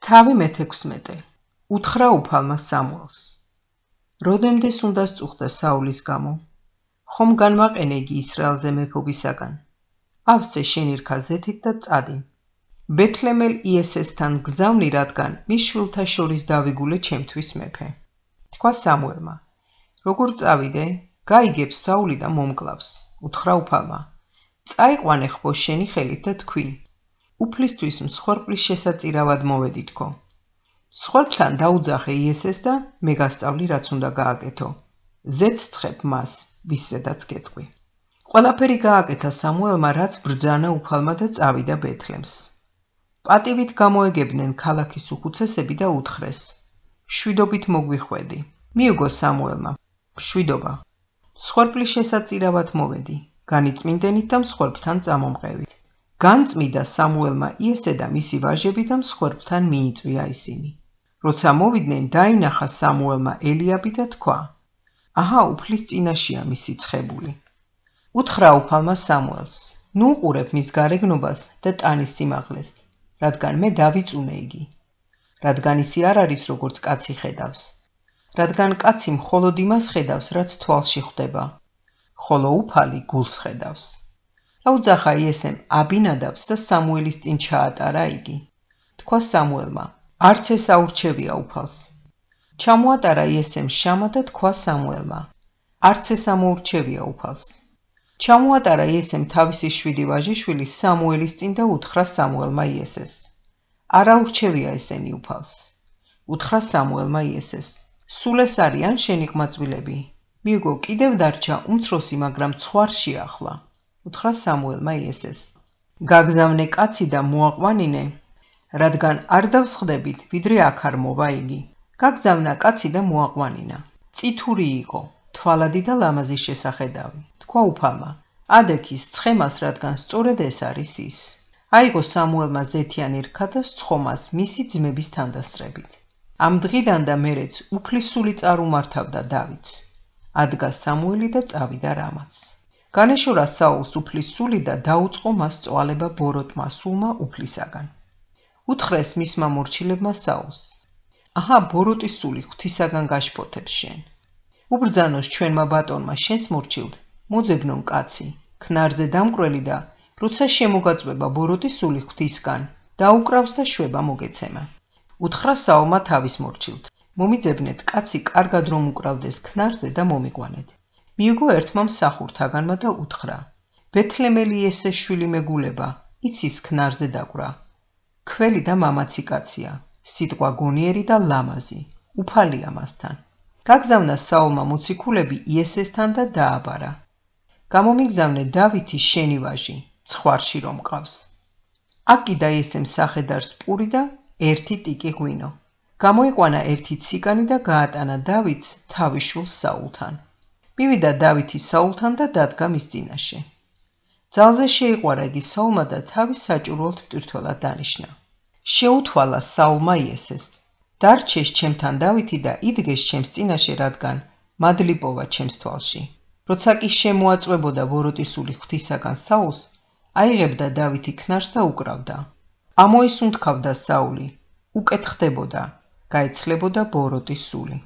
თავი მე-16 უთხრა უფალმა სამუელს. როდემდეს უნდა სწუხდა საულის გამო, ხომ განვაყენე იგი ისრაელზე მეფობისაგან. ავსე შენ ირქა ზეთით და წადი. ბეთლემელ იესესთან გზავნი, რადგან მის შვილთა შორის დავიგულე ჩემთვის მეფე. თქვა სამუელმა, როგორ წავიდე, გაიგებს საული და მომკლავს. უთხრა უფალმა, წაიყვანე ხბო შენი ხელით და თქვი, უფლისთვის მსხვერპლის შესაწირავად მოვედი თქო. მსხვერპლთან დაუძახე იესეს და მე გასწავლი, რაც უნდა გააკეთო. ზეთს ცხებ მას, ვისზედაც გეტყვი. ყველაფერი გააკეთა სამუელმა, რაც ბრძანა უფალმა და წავიდა ბეთლემს. პატივით გამოეგებდნენ ქალაქის უხუცესები და უთხრეს, მშვიდობით მოგვიხვედი. მიუგო სამუელმა, მშვიდობა. მსხვერპლის შესაწირავად მოვედი, განიწმინდენით და მსხვერპლთან წამომყევით. განწმიდა სამუელმა იესე და მისი ვაჟები და მსხვერპლთან მიიწვია ისინი. როცა მოვიდნენ, დაინახა სამუელმა ელიაბი და თქვა, აჰა, უფლის წინაშეა მისი ცხებული. უთხრა უფალმა სამუელს, ნუ უყურებ მის გარეგნობას და ტანის სიმაღლეს, რადგან მე დავიწუნე იგი. რადგან ისი არ არის როგორც კაცი ხედავს. რადგან კაცი მხოლოდ იმას ხედავს, რაც თვალში ხვდება, ხოლო უფალი გულს ხედავს. დაუძახა იესემ აბინადაბს და სამუელის წინ ჩაატარა იგი. თქვა სამუელმა, არც ეს აურჩევია უფალს. ჩამოატარა იესემ შამა და თქვა სამუელმა, არც ეს ამოურჩევია უფალს. ჩამოატარა იესემ თავისი 7 ვაჟიშვილი სამუელის წინ და უთხრა სამუელმა იესეს, არ აურჩევია ესენი უფალს. უთხრა სამუელმა იესეს, სულ ეს არიან შენი ყმაწვილები? მიუგო, კიდევ დარჩა უმცროსი, მაგრამ ცხვარში ახლა. უთხრა სამუელმა იესეს, გაგზავნე კაცი და მოაყვანინე, რადგან არ დავსხდებით, ვიდრე აქ არ მოვა იგი. გაგზავნა კაცი და მოაყვანინა. წითური იყო, თვალადი და ლამაზი შესახედავი. თქვა უფალმა, ადექის ცხემას, რადგან სწორედ ეს არის ის. აიღო სამუელმა ზეთიანი რქა და სცხომას მისი ძმების თანდასწრებით. ამ დღიდან და მერეც უფლის სული წარუმართავდა დავითს. ადგა სამუელი და წავიდა რამაც. განეშორა საულს უფლის სული და დაუწყო მას წვალება ბოროტმა სულმა უფლისაგან. უთხრეს მისმა მორჩილებმა საულს, აჰა, ბოროტის სული ღვთისაგან გაშფოთებს შენ. უბრძანოს ჩვენმა ბატონმა შენს მორჩილთ, მოძებნონ კაცი, ქნარზე დამკვრელი და როცა შემოგაწვება ბოროტის სული ღვთისგან, დაუკრავს და შვება მოგეცემა. უთხრა საულმა თავის მორჩილთ, მომიძებნეთ კაცი კარგად რომ უკრავდეს ქნარზე და მომიყვანეთ. მიუგო ერთმა მსახურთაგანმა და უთხრა, ბეთლემელი იესეს შვილი მეგულება, იცის ქნარზე დაკვრა. ქველი და მამაცი კაცია, სიტყვა გონიერი და ლამაზი, უფალია მასთან. გაგზავნა საულმა მოციქულები იესესთან და დააბარა. გამომიგზავნე დავითი შენი ვაჟი, ცხვარში რომ მყავს. აკიდა იესემ სახედარს პური და 1 ტიკი ღვინო. გამოიყვანა 1 ციგანი და გაატანა დავითს თავის შვილს საულთან. მივიდა დავითი საულთან და დადგა მის წინაშე. ძალზე შეიყვარა იგი საულმა და თავის საჭურველთ მტვირთველად დანიშნა. შეუთვალა საულმა იესეს, დარჩეს ჩემთან დავითი და იდგეს ჩემს წინაშე, რადგან მადლი პოვა ჩემს თვალში. როცა კი შემოაწვებოდა ბოროტის სული ღვთისაგან საულს, აიღებდა დავითი ქნარს და უკრავდა. ამოისუნთქავდა საული, უკეთ ხდებოდა, გაეცლებოდა ბოროტის სული.